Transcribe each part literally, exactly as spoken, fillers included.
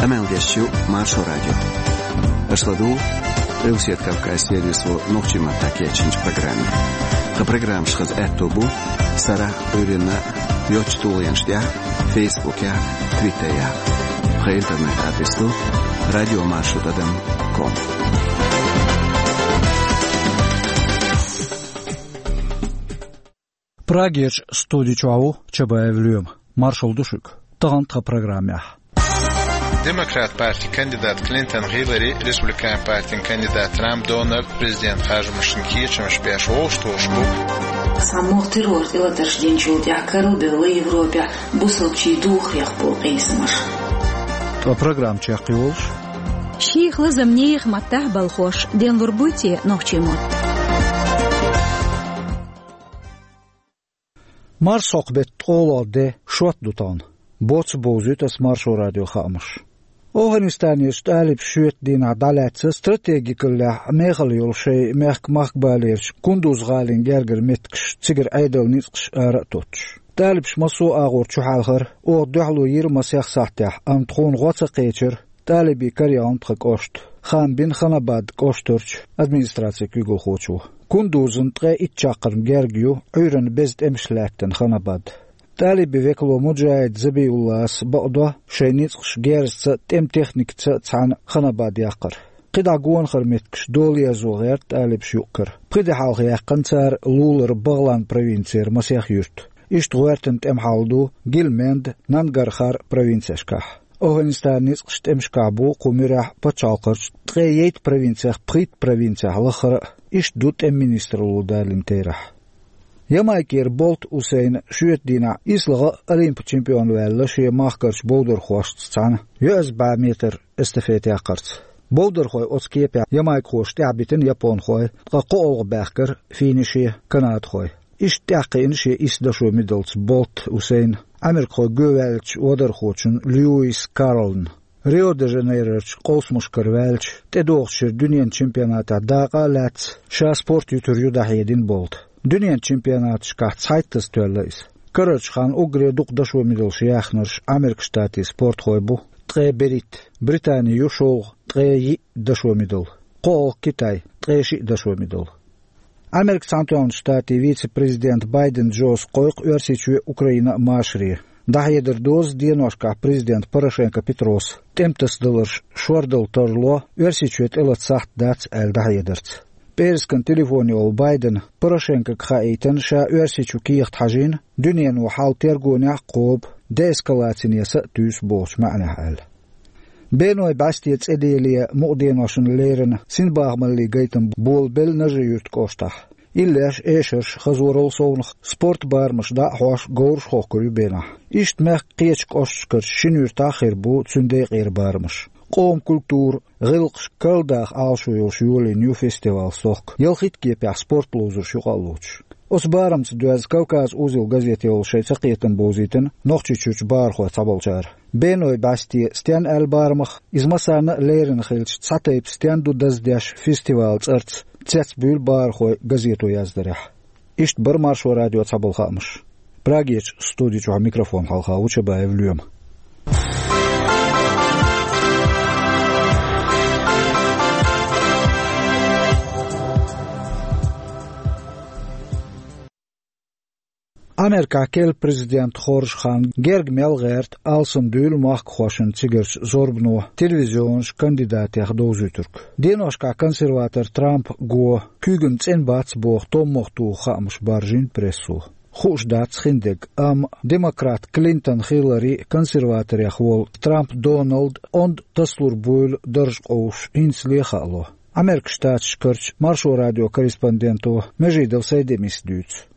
Къамел деш ю Маршо радио. Аша ладугӀу Къилбаседа Кавказан сервисо нохчийн маттахь кечйинчу программе. Тхан программаш хаза аьтто бу сарахь а, Ӏуьйранна а йоцачу тулгӀенаш тӀехь а, Фейсбукехь а, Твиттерехь а. Тхан интернет-адрес ду радиомаршо тӀадам ком. Прагерчу студи чохь ву Чабаев Лоьма. Маршалла ду шуьга. Тахана тхан программехь: Демократ партин кандидат Клинтон Хиллари, Республикан партин кандидат Трамп Дональд президент харжамашна кечамаш беш вовшахтохуш бу. Цхьаммо террор тӀелатарш динчул тӀаьхьа карладелла Европехь бусалбачийн духарех болу къийсамаш. Ткъа программа чекхйолуш: шех лазам нехан маттахь балхош денлур буй те нохчийн мотт? Марсхьокху беттан ткъолгӀа де шот ду тахана. Боцца бовзуьйту ас Маршо радион хаамаш. ОвхӀанистанерчу талибаша шоьтан дийнахь дӀалаьцна стратегикаллехь мехала йолу шайн мехкан махкабалерчу Кундуз-гӀалин гергара меттигаш, цигара Ӏедалан ницкъаш ара а тоттуш. Талибаша массо а агӀор чухьаьлхара, оха дуьхьало йира масех сахьтехь, амма тхуна гӀо ца кхечира талибийн караяьлла тхан кӀошт. Хаам бина Ханабад кӀоштарчу администрацин куьйгалхочо. Кундузана ткъе итт чаккхарма герга ю, Ӏуьйранна беза тӀемаш лаьттина Ханабад. Талибийн векало Муджахид Забиуллас бакъдо шайн ницкъаш герзаца а, тӀеман техникаца а цхьаьна Ханабад яккхар. КхидӀа гонахара меттигаш дола ерзо гӀерта талибаша юккъера. Пхи де хьалха яьккхина цара лулара БагӀлан провинцера масех юрт. Иштта гӀоьртина тӀеман хьал ду Гильменд, Нангархар провинцешкахь. ОвхӀанистанан ницкъаш тӀемашкахь бу кху муьрехь пачхьалкхарчу ткъе ейтта провинцех пхийтта провинцехь лаххара а. Иштта ду тӀеман министралло далийна терахь. Ямайкера Болт Усейна шоьтан дийнахь ислагӀа а Олимпан чемпион ваьлла шен махкарчу бовдархошца цхьаьна йоьазза бӀе метр эстафета яккхарца. Бовдархой оцу кепехь ямайкхоша тӀаьхьабитина японхой, ткъа кхоалгӀа баьхкира финише канадхой. Иштта тӀаьхьакхиъна шен исс дашо мидалца Болт Усейна Ӏамеркахой гӀовттинчу вадархочун Льюис Карлна. Рио-де-Жанейрорчу къовсамашкара ваьлча, тӀедогӀучу шеран дуьненан чемпионатехь дакъа а лаьцна, ша спорт юьтур ю дӀахьедина Болта. Дуьненан чемпионаташкахь цхьайттаза тоьлла иза. Карарчу хенахь уггаре дукха дашо мидалш яьхнарш Ӏамеркан Штатийн спортхой бу, ткъе берхӀитта, Британи ю шолгӀа, ткъе йиъ дашо мидал, кхоалгӀа Китай, ткъе шиъ дашо мидал. Америкин Цхьаьнатоьхначу Штатийн вице-президент Байден Джос кхойкху Оьрсийчоь а, Украина а машаре. ДӀахьедар доза деношкахь президент Порошенко Петрос тӀеман тасадаларш шордала тарло, Оьрсийчоь тӀелата сахьт дац аьлла дӀахьедарца. ПӀераскан телефоне волу Байдена Порошенкога хаийтина, ша Оьрсийчу кехат хьажийна, дуьнено хьал тергонехь а кхобу, деэскалацине са а туьйсу бохучу маьӀнехь аьлла. Беной бӀаьсте цӀе деле мукъа деношна леррина синбахамаллин гайтам болабелла Нажи-Юьртан кӀоштахь. Иллеш, эшарш, хазорал совнаха спорт барамаш дӀа а хьош, говраш а хохкур ю бенахь. Иштта мехкан кхечу кӀошташкарчу шина юьртахь а хир бу цуьнан декъера барамаш. Къоман культура, гӀиллакхаш карладаха Ӏалашо йолуш йолийна ю фестиваль «Сохка», ялхитта кепехь спорт ловзарш юкъа а лоцуш. Оцу барамца доьзна «Кавказ-Узел» газете волу шайн цакхетам бовзийтина Нохчийчуьрчу бахархойх цхьаболчара. Беной бӀаьсте стенна аьлла барамах, иза массарна а леррина хилча, цхьа тайпа стенна ду даздеш фестивалан цӀарца, цецбуьйлу бахархой газето яздарехь. Иштта бара Маршо радион цхьаболу хаамаш. Прагерчу студи чохь микрофон хьалха ву Чабаев Лоьма. Америкахь керла президент хоржу хан герга мел гӀерта алсам дуьйла махкахошна цигарчу зорбано телевизионаш кандидатех довзуьйтург. Деношкахь консерватор Трамп го куьйгана цӀена бац боху томмах туху хаамаш баржийна прессо. Хууш дац хиндерг, амма демократ Клинтон Хиллари, консерваторех волу Трамп Доналд онда тасалур буйла дарж къовсуш хӀинцале а хаало. Америкин Штаташкарчу Маршо радион корреспонденто Межидов Сайдемис дуьйцу.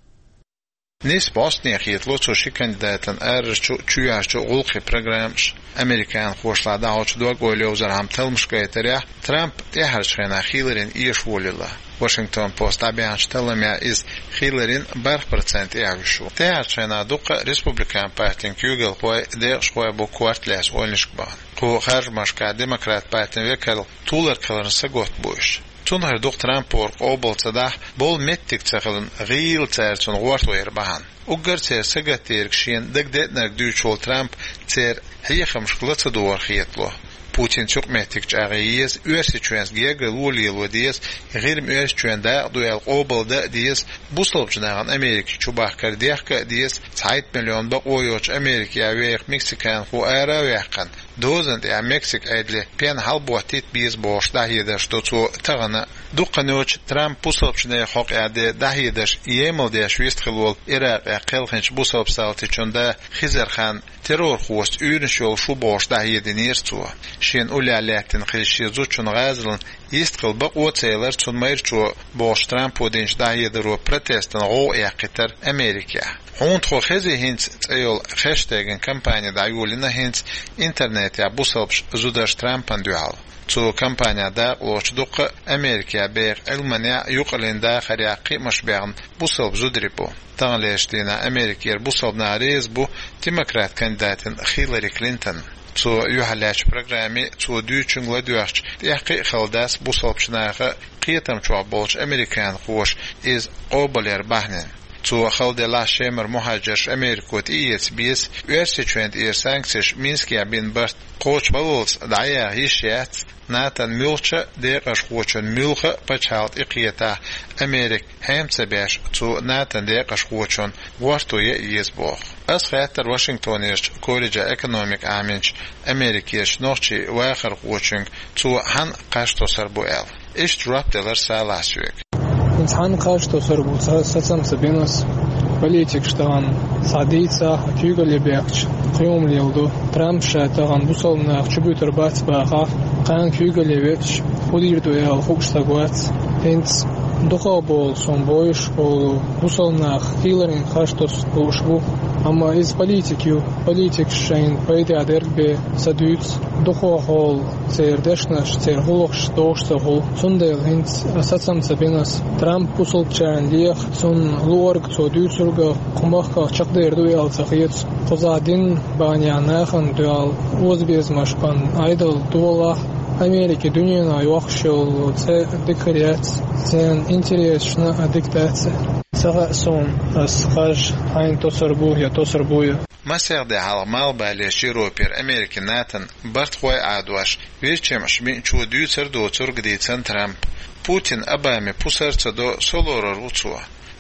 Нисбо бӀостанехьа хетало цо ши кандидатан арарчу а, чоьхьарчу а гӀуллакхийн программаш. Американхошлахь дӀахьочу дог-ойла йовзархьама талламаш гайтарехь, Трамп тӀаьхьарчу хенахь Хилларина эшаволийла. Вашингтон Пост дӀабаьхьначу талламехь иза Хилларина бархӀ процент тӀехь вуьсуш ву. ТӀаьхьарчу хенахь дуккха а республикан партин куьйгалхой, декъашхой бу корта лаьцна ойланашка бахана. Кху харжамашкахь демократ партин векал туларг хиларна сагатта бу уьш. Цунах дукха Трампо къобал ца дахь, болу меттиг ца хиларна гӀийла цара цунна гӀортор бахьана. Уггар церан сагатдерг шена дагадеънарг дуьйцуш волу Трамп церан хьехамашка ла ца догӀура хетало. Путинца юкъаметтиг чӀагӀъе еза, Оьрсийчоьнца гергарло лело деза, ГӀирма Оьрсийчоьнан дакъа ду аьлла къобалдан а деза, бусалбачу нахана Америка чубахкар дехка а деза, цхьайтта миллион бакъо йоцуш Америках веха мексиканхо ара а ваьккхина, дозанна тӀехь Мексика Ӏедале пен хьалаботтийта беза бохуш дӀахьедарш до цо тахана а. Дукха хан йоцуш Трампа бусалбачу нехан хьокъехь деш дӀахьедарш емал деш вистхила волу Иракъехь кхелхинчу бусалба салтичун да Хизархан террорхошца уьйраш йолуш ву бохуш дӀахьединера цо. Шена уллехь лаьттина хилла шен зудчун гӀазална йистхила бакъо а ца елира цунна майрачо бохуш Трампо динчу дӀахьедаро протестан гӀовгӀа эккхийтира Америкехь. Хьуна тхо хези хӀинца цӀе йолу хештеган кампани дӀайолийна хӀинца интернетехь бусалбачу зударша Трампана дуьхьал. Цу кампанехь дакъалоцуш дуккха а Америкехь беха Ӏилманехь а, юкъараллин дахарехь а кхиамаш баьхна бусалба зударий бу. Таханлерчу дийнахь Америкера бусалба нах реза бу демократ кандидатна Хиллари Клинтонна. Цо юьхьарлаьцначу программе цо дуьйцучуьнга ладоьгӀча, тӀехь кхин а хала дац бусалбачу наха кхетам чохь болчу американхоша иза къобалъяран бахьанина. Цо хала делахь а, Шемара мухӀажарш Америко тӀеэца беза, Оьрсийчоьнна тӀера санкцеш Минскехь бина барт кхочушбаллалц дӀаяха йиш яц, НАТОн муьлххачу а декъашхочун муьлхха а пачхьалкх тӀекхетахь, Америка хьем ца беш, цу НАТОн декъашхочун гӀорто ян еза боху. Ас хаьттира Вашингтонерчу колледжехь экономика Ӏаминчу Америкерчу нохчийн вахархочуьнга, цо хьанна кхаж тосур бу аьлла. Иштта жоп делира Салахьсоьга. ХӀинца хьанна кхаж тосур бу, ца, сацам ца бина ас. Политикаш тахана схьа дийцахь, куьйгалле бехкачу кхин хӀума леладо. Трампа ша тахана бусалба нах чубуьйтур бац бахахь, кхана куьйгалле веача, хӀун дийр ду аьлла хууш стаг вац. ХӀинца дукхах болу, суна бовзуш болу, бусалба нах Хилларина кхаж тосуш бу. Амма иза политик ю, политикаш шайна пайдехь дерг бен ца дуьйцу. Дукхах болу церан дешнаш, церан гӀуллакхаш догӀуш ца хуьлу. Цундела хӀинца сацам ца бина ас. Трамп бусалбачарна леха, цунна луург, цо дуьйцург а кху махках чекхдер ду аьлла ца хета. Кхузахь динан бахьанехь нахана дуьхьал озабезамаш бан Ӏедал долахь, Америка дуьненахь йоккхуш йолу цӀе дика хир яц, церан интересашна а дика дац. Ца хаьа суна, ас кхаж хьайна тосур бу я тосур бу я. Масех де хьалха Малхбалерчу Европера Америкин НАТОн бартахой Ӏадош, вирчемаш биъначо дуьйцур доцург дийцина Трампа. Путин Обаме пусар ца до, со лорур ву цо.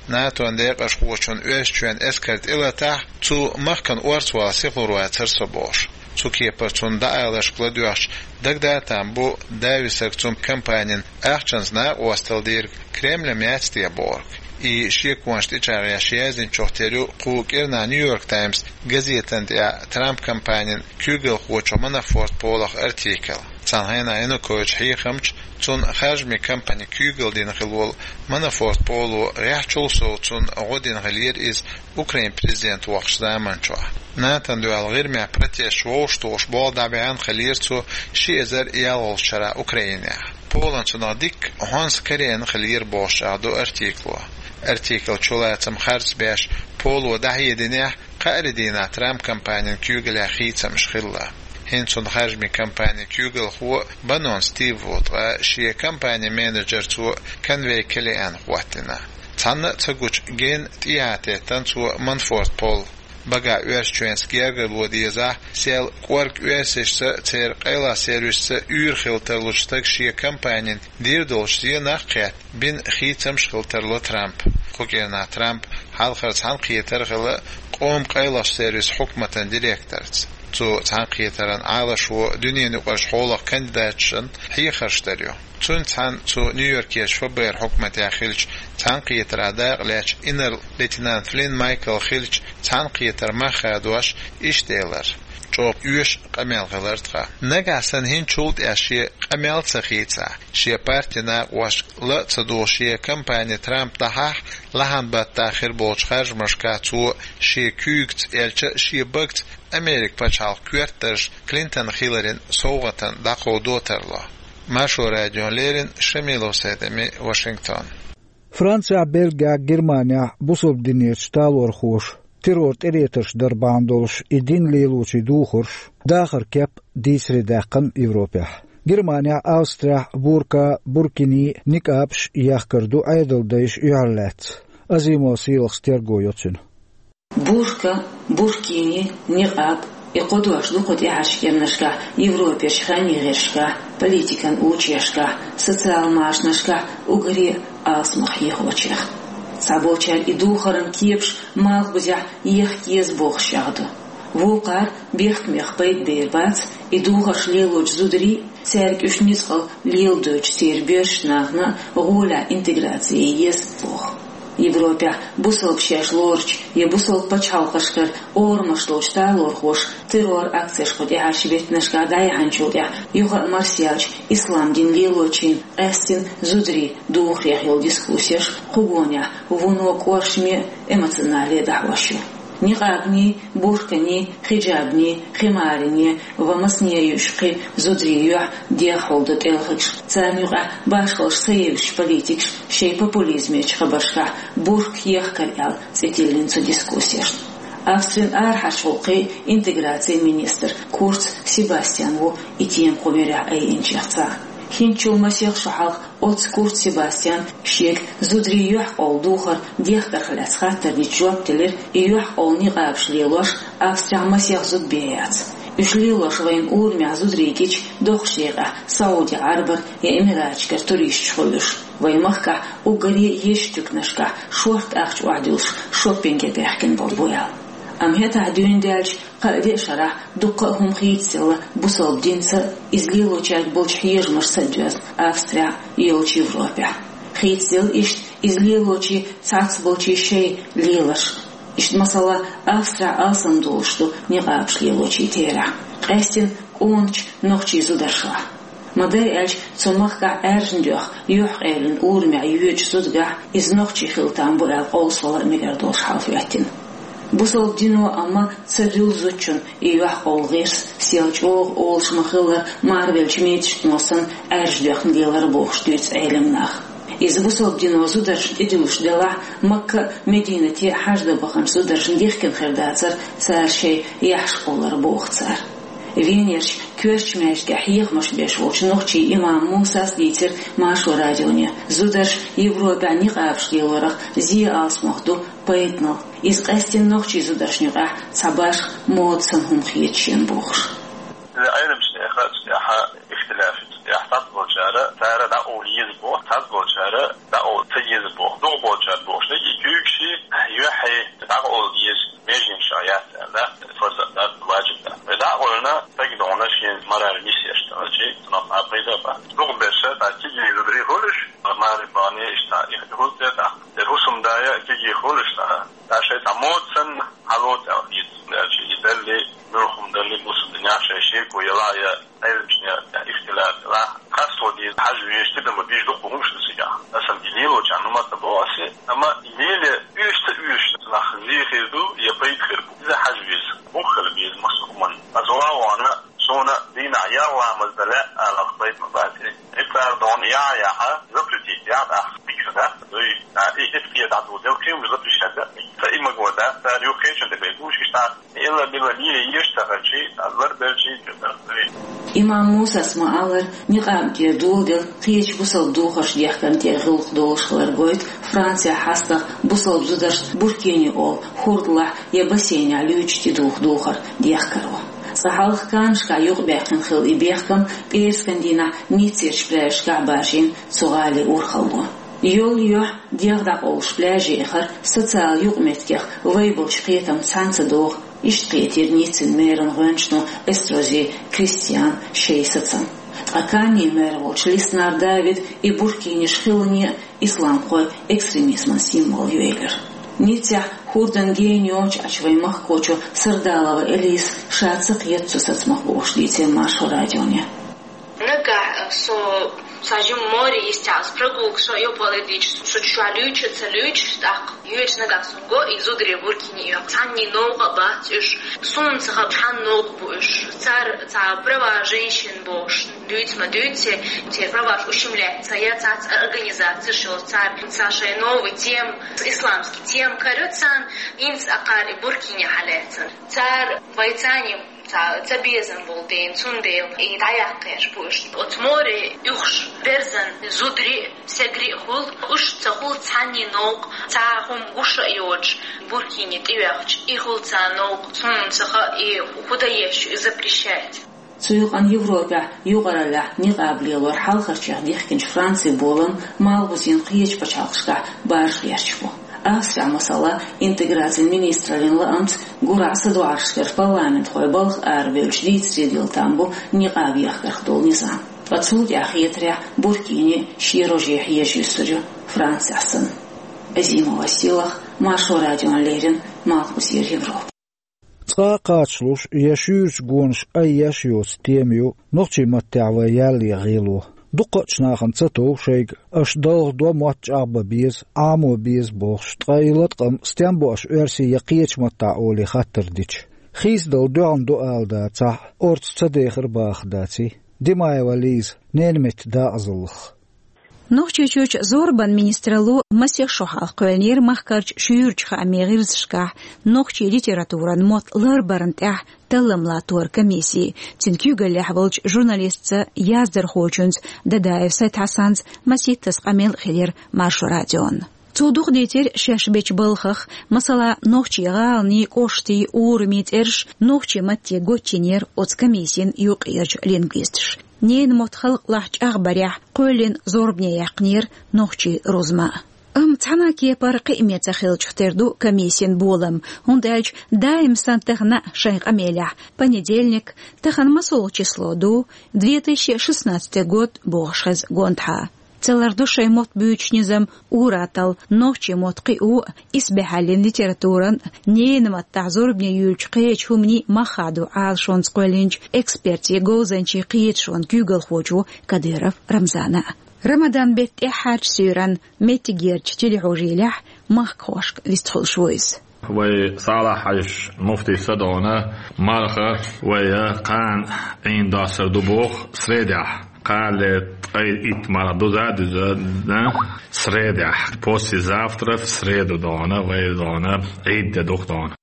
НАТОн декъашхочун Оьрсийчоьнан эскар тӀелатахь, цу махкана орцавала сихлур вацара со бохуш. Цу кепара цунна дӀааларшка ладоьгӀча, дагадатам бу, дависаг цу кампанин ахчанца накъосталла дийриг Кремль яц те бохург. И шеконаш тӀечӀагӀъеш яздинчух тера ю кху кӀирнахь Нью-Йорк Таймс газетан тӀехь Трамп кампанин куьйгалхочух Манафорт Полах артикл. Цхьана хенахь Янукович хьехамча, цунна харжамийн кампани куьйгалла дина хилла волу Манафорт Поло гӀеххьачул сов цунна гӀо дина хиллера иза Украин президент воккхучу заманчохь. НАТОн дуьхьал ГӀирмехь протесташ вовшахтухуш болх дӀабаьхьна хиллера цо ши эзар ялхалгӀачу шарахь Украинехь. Полан цунах дикка хьонса карийна хиллера бохуш чӀагӀдо артикло. Артикл чулацам харц беш, Поло дӀахьединехь, кхаарин дийнахь Трамп кампанин куьйгаллехь хийцамаш хилла. ХӀинца цунна харжамийн кампанин куьйгалхо Баннон Стив ву, ткъа шен кампанин менеджер цо Конвей Келлиан хӀоттийна. Цхьанна а ца гучу генна тӀехьа теттина цо Манафорт Пол. Багахь Оьрсийчоьнца гергарло дезахь, сел кӀорга оьрсашца, церан къайлахчу сервисашца уьйр хила тарлучу стага шен кампанин дийр долчу зенах а кхетта, бина хийцамаш хила тарло Трампа. Кху кӀирнахь Трамп хьалхара цхьаьнакхетар а хилла къоман къайлахчу сервисан хьукматан директорца. Цу цхьаьнакхетаран Ӏалашо дуьненан юкъарчу хьолах кандидаташна хьехарш дар ю. Цуьнца цхьаьна цу Нью-Йоркерчу ФБР хьукматехь хиллачу цхьаьнакхетаран дакъа лаьцначу инарла-лейтенант Флинн Майкла хиллачу цхьаьнакхетар мах хадош иштта элира: «ЧӀогӀа оьшу къамел хилира тхан. Нагахь санна хӀинцачул тӀаьхьа шен къамел ца хийцахь, шен партин накъосташка ла а ца духуш, шен кампани Трамп дӀахьахь, лахьан-баттахь хир болчу харжамашкахь цо шен куьйгаца, аьлча а шен багаца Америкин пачхьалкх коьртдарш Клинтон Хилларина совгӀатана дӀакховдо тарло». Маршо радиона леррина Шамилов Сайд-Эми, Вашингтон. Францехь, Бельгехь, Германехь бусалба динерчу талорхоша террор тӀеретарш дар бахьана долуш и дин лелочийн духарш дахаран кеп дийцаре даьккхина Европехь. Германехь, Австрехь бурка, буркини, никъабаш яхкар ду Ӏедалдайша юьхьарлаьцна. Азимова Сийлахас терго йо цуьнан. Бурка, буркини, никъаб, И кхо дош ду кху тӀаьхьарчу кӀирнашкахь Европерчу ханнийн гӀирсашкахь, политикан учреждешкахь, социал машанашкахь уггаре а алсамох хьехочех. Цхьаболчара и духаран кепаш малхбузехь еха еза бохуш чӀагӀдо. Вукхара бехкамех пайда бер бац, и духарш лелочу зударий, цаьрга уьш ницкъала леладойтучу церан боьршачу нахана гӀолехь интеграци ян еза боху. Европехь бусалба шаьш лоручу я бусалба пачхьалкхашкара орамаш долчу талорхоша террор-акцеш кху тӀаьхьарчу беттанашкахь дӀаяьхьначул тӀаьхьа юха а марсаьллачу ислам дин лелочийн къаьсттина зударийн духарех йолу дискуссеш кху гонехь вуно кӀоршаме а, эмоционале а дӀахьош ю. Никъабний, бурканий, хиджабний, химариний ва масане а юьйцуш кхин зударийн юьхь дегӀахьулдан тӀелхигаш, царна юкъахь башхаллаш ца евзачу политикаша шайн популизмечу хабаршкахь бурка ехкар аьлла цӀе тиллина цу дискуссешна. Австрин арахьарчу гӀуллакхийн, интеграцин министр Курц Себастьян ву и тема кху муьрехь айинчех цхьаъ. ХӀинцачул масех шо хьалха оццу Курц Себастьяна шега зударийн юьхькъовла духар дехкарх лаьцна хаттарниг жоп делира, и юьхькъовла никъабаш лелош Австрехь масех зуда бен яц. Уьш лелош вайна урамехь зударий гича, доккхачу декъехь Сауди Ӏарбара я Эмираташкара туристаш хуьлу уьш. Вайн махкахь уггаре а езачу туьканашкахь шортта ахча охьадуьллуш шоппинге баьхкина болу бу аьлла. Амма хӀетахь дуьйна даьлча, кхаа деа шарахь дуккха а хӀума хийцаделла бусалба динца а, иза лелочаьрга болчу хьежамашца а доьзна Австрехь а, йолчу Европехь а. Хийцаделла иштта иза лелочийн цхьацболчийн шайн леларш. Иштта, масала, Австрехь алсам долуш ду никъабаш лелочийн терахь, къаьсттина къоначу нохчийн зударшкахь. Ма-дарра аьлча, цу махкахь Ӏаьржина доьхна юьхькъевлина урамехь йоьдучу зудагахь иза нохчи хила там бу аьлла къовсавала а мегар долуш хьал хӀоьттина. Бусалба дино амма ца дуьллу зудчунна и юьхькъовла гӀирс, сел чӀогӀа олуш ма-хиллара, марвеллачу мецаштано санна Ӏаьржа доьхна лелар бохуш дуьйцу Ӏелам наха. Иза бусалба дино зударшна тӀедуьллуш делахь, Макка а, Мединате а хьаждан баханчу зударшна дихкина хир дацара цара шайн яхьаш кхоллар, боху цара. Венерчу коьртачу маьждигехь хьехамаш беш волчу нохчийн имам Мусас дийцира Маршо радионе, зударша Европехь никъабаш лелорах зен алсамох ду пайданал. Иза къаьсттина нохчийн зударшна юкъахь цхьа башха мода санна хӀума хета шена бохуш. Иза Ӏеламчу нехан цу тӀехь ихтилаф ю, цу тӀехь цхьаболчара цара дӀакъовла еза боху, цхьаболчара дӀакъовла ца еза боху, дукхахболчара бохуш дерг и куьйгаши, юьхьи дӀакъовла еза меженашкахь яц аьлла, фарз а дац, важиб а дац. Вай дӀакъевлина, стаг догӀна шен мораль нисъеш ца хилча, цунах цхьа а пайда а бац. Дукхахберш цхьа кегий зударий хуьлуш, марха бахьане иштта цхьа ихтилаф хуьлу церан тӀехь. Церан хӀусамда а кегий хуьлуш цхьа, цхьа шайн цхьа мода санна хьалаоцу аьлла хета цунна, аьлча и далле, муьлхха хӀума далле, бусалба динехь шайн шеко ялахь а, я Ӏеламчу нехан тӀехь ихтилаф ялахь а, хастло деза хьажа везаш, тидам бан безаш дуккха хӀумаш ду цигахь. Аса и лелочарна хӀума ца боху аса, амма и лело оьшуш ца оьшуш нах зен хир ду я пайда хир бу. Иза хьажа веза, бухахь хила беза массо а хӀуманна. Аса ван а вахана, суна дийнахь ялх ламаз дан лаьа аларх пайда ма бац. И цара догӀна яхьа яхьа, запретить яхьа, ахь пикр дац, дуй, а, и, и кхета дӀадоладелла, кхин уьш запрещать дац. Ца и магор дац, цара юххечун тӀе бен гуш, иштта, и илла-билла лело езаш ца хилча, а, ларбелча, чу дар дуй. Имам Мусас ма-аллара, никъаб дер доладелла кхечу бусалба духарш дехкарна тӀера гӀуллакх долуш хилар гойту Францехь хьастагӀа бусалба зударшна буркини олу хӀордалахь я бассейнехь луьйчу тӀедуху духар дехкаро. Цкъа хьалха Каннашкахь юкъабаьккхина хилла и бехкам, пӀераскан дийнахь Ниццерчу пляжашкахь баржийна цу гӀалин урхалло. Йолу юьхь дегӀ дӀакъовлуш пляже яхар социал юкъаметтигех вай болчу кхетам цхьаьна ца догӀу, иштта кхетира Ниццин мэран гӀоьнчано Эстрози Кристиана шайн сацам. Ткъа Каннин мэр волчу Лиснар Давида и буркиниш хиларна а исламхойн экстремизман символ ю элира. Ниццехь хӀордан гена йоцуш Ӏачу вайн махкахочо Сардалова Элиса ша ца кхета цу сацамах бохуш дийцира Маршо радионе. Нагахь со сан жимма море йистехь, аса прогулка со йопале дийча, со чохь луьйчу а ца луьйчу, тӀаккха йоьдуш нагахь сон го и зударий буркини йохку. Цхьанний новкъа а бац уьш. Суна ца хаьа, цхьанна новкъа бу уьш. Цара цхьа права женщин бохуш дуьйцу ма дуьйцу, церан праваш ущемляться яц цхьацца организацеш йолу, цара цхьа шайн новый тема, исламский тема кароьцу царна, хӀинца акхара и буркини хьалаьцна. Цара вай царна Цхьа ца безам болу ден, цундела и дӀаяккхеш бу уьш. Оцу море уьхуш берзан зударий а, сагарий а хуьлу, уьш ца хуьлу цхьанний новкъа, цхьа хӀума гуш а йоцуш, буркине тӀеоьхча, и хуьлу царна новкъа, суна ца хаьа, и хӀун дан еза ю, и запрещать. Цу юкъана Европехь юкъараллехь никъаб лелор хьалхарчех дихкинчу Францин болам малхбузийн кхечу пачхьалкхашкахь баржа гӀерташ бу. Австрехь, масала, интеграцин министраллин лаамца гурахь садоӀаршкара парламентхой балха арабевлча дийцаре дилла там бу никъаб ехкарх долу низам. Ткъа цул тӀаьхьа хетарехь, буркине шен роже хьежа юьсур ю, Францехь санна. Азимова Сийлаха, Маршо радиона леррина, Малхбузера Европа. Цкъа а кхачалуш я шуьйрачу гонаш айъеш йоцу тема ю нохчийн маттехь вайн ялле гӀело. Дуккхачу нахана ца тов шайга аша далха до, мотт чӀагӀбан беза, Ӏамо беза бохуш, ткъа и латкъам стен бу аша оьрсийн я кхечу маттахь олий хаттар дича. Хийцадала доьгӀна ду ала дацахь, орцу ца дехар бахар даций? Димаева Лиза, ненан меттан дакъазаллах. Нохчийчуьрчу зорбан министралло масех шо хьалха кхоьллинера махкарчу шуьйрачу хаамийн гӀирсашкахь нохчийн литературан мотт ларбарна тӀехь таллам латтор комисси, цуьнан куьйгаллехь волчу журналистца, яздархочуьнца Дадаев Сайд-Хьасанца масийттаза къамел а хилира Маршо радион. Цо дукха дийцира шаьш бечу балхах, масала, нохчийн гӀаланийн, кӀоштийн, урамийн цӀераш нохчийн матте гочйинера оцу комиссин юккъерчу лингвисташа. Ненан мотт халкъалахь чӀагӀбарехь кхоьллина зорбане яьккхинера нохчийн рузма. Амма цхьана а кепара кхиаме ца хиллачух тера ду комиссин болам, хӀунда аьлча даим санна тахана а шайн къамелехь понедельник, тахана масолгӀа число ду, две тысячи шестнадцатый год бохуш хеза гонаха. Ца ларду шайн мотт буьйцуш низам ур-атталла, нохчийн мотт кхио а, исбаьхьаллин литературан а, ненан маттахь зорбане юьйлучу кхечу хӀуманийн мах хадо Ӏалашонца кхоьллинчу экспертийн, говзанчийн кхеташонан куьйгалхочо Кадыров Рамзана. Рамадан беттан тӀаьххьарчу суьйранна меттигерчу телехьожийлехь махкахошка вистхуьлуш ву иза. Вай Салахь-Хьаьжин муфтица догӀна марха вай кхана Ӏийна доссар ду боху средехь. Кхана ткъе итт марха ду за дуьзна средехь. Послезавтра в среду догӀна, вай догӀна, Ӏийд де дукха догӀна.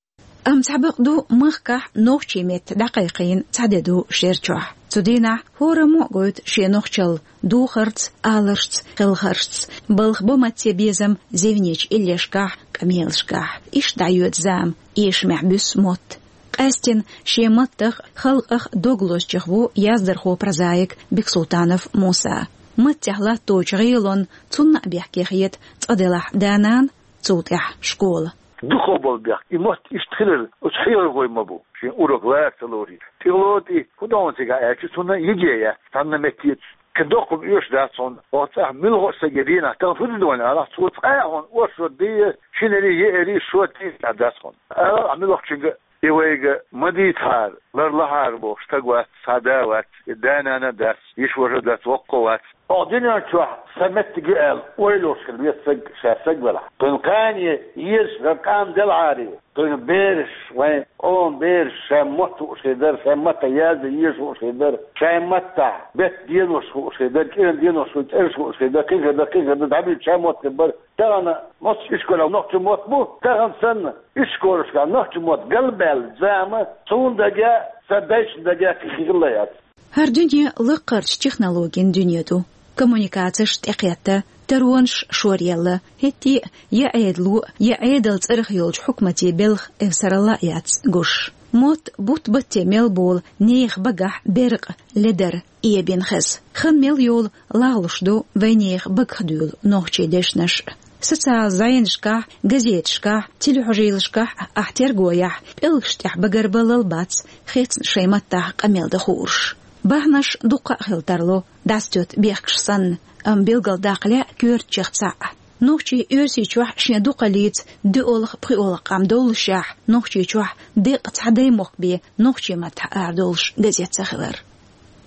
Амма цхьа бакъ ду, махкахь нохчийн меттан дӀакхайкхийна цхьа де ду шер чохь. Цу дийнахь хӀораммо а гойту шен нохчалла духарца, аларшца, хелхаршца, балха бо матте безам зевнечу иллешкахь, къамелашкахь. Иштта дӀайоьду зама, эшамехь буьссу мотт. Къаьстина шен маттах а, халкъах а дог лозучех ву яздархо, прозаик Бексултанов Муса. Маттехь латточу гӀелонна цунна а бехке хета цкъа делахь да-нана, цул тӀаьхьа школа. Дукхах болу бехк, и мотт иштта хилар оцу хьехархойн ма бу, шен урок лара ца лорий. ТӀехула тӀе хӀун догӀу цигахь аьлча, цунна йиге яц, цхьанна метте. Кхин доккха хӀума оьшуш дац хьуна, оцу цӀахь муьлхха а стаге дийнахь, тахана хӀун де догӀу аьлча, цо цкъа а хьуна оршот дийр, шинарий, еарий, шот дийр дац хьуна. Ала ахь муьлххачуьнга, и вайга ма дийцахьара, ларлахьара бохуш стаг вац, цхьа да вац, и да-нана дац, йиша-ваша дац, воккха вац. Оха дуьнен чохь сан меттиг ю аьлла ойла йолуш хила веза стаг, ша стаг велахь. Кхуьнан кхане езаш вара къам делахьара, кхуьнан бераш, вайн къоман бераш шайн мотт хууш хир дара, шайн маттахь яздан езаш хууш хир дара, шайн маттахь беттан денош хууш хир дара, кӀиран денош хууш, цӀераш хууш хир дара, кхин хир дара, кхин хир дара, дӀабуьйцуш шайн мотт хир бара. Тахана массо а ишколехь нохчийн мотт бу, тахана санна ишколашкахь нохчийн мотт галбаьлла зама, суна дагахь, сан дайшна дагахь кхин хилла яц. ХӀара дуьне лаккхарчу технологийн дуьне ду. Коммуникацеш тӀекхетта, таронаш шоръелла, хӀетте а я Ӏедало, я Ӏедалан цӀарах йолчу хьукматийн белхан эвсаралла а яц гуш. Мотт бутт-батте мел болу нехан багахь беркъа, ледар эбина хеза. Хан мел йолу лагӀлуш ду вайнехан багах дуьйлу нохчийн дешнаш. Социал зӀенашкахь, газеташкахь, телехьожийлашкахь ахь терго яхь, пӀелгаш тӀехь багарбаллал бац, хецна шайн маттахь къамел дан хууш. Бахьанаш дуккха а хила тарло, дӀасатоьтту бехкаш санна, амма билгалдаккха лаьа коьртачех цхьаъ. Нохчийн Оьрсийчохь шен дукхаллица доьалгӀа, пхоьалгӀа къам доллушехь, Нохчийчохь деккъа цхьа даймохк бен нохчийн маттахь арадолуш газет ца хилар.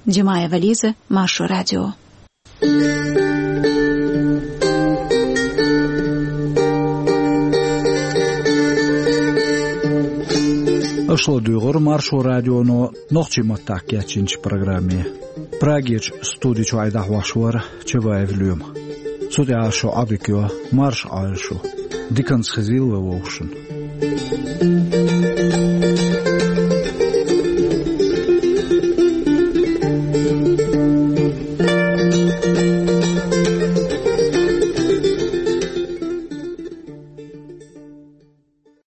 Димаева Лиза, Маршо радио. Аша ладуьйгӀира Маршо радионо нохчийн маттахь кечйинчу программе. Прагерчу студи чуьра дӀахьош вара Чабаев Лоьма. Цу тӀехь шу Ӏадика йо, марша Ӏойла шу. Диканца хезийла вай вовшашна.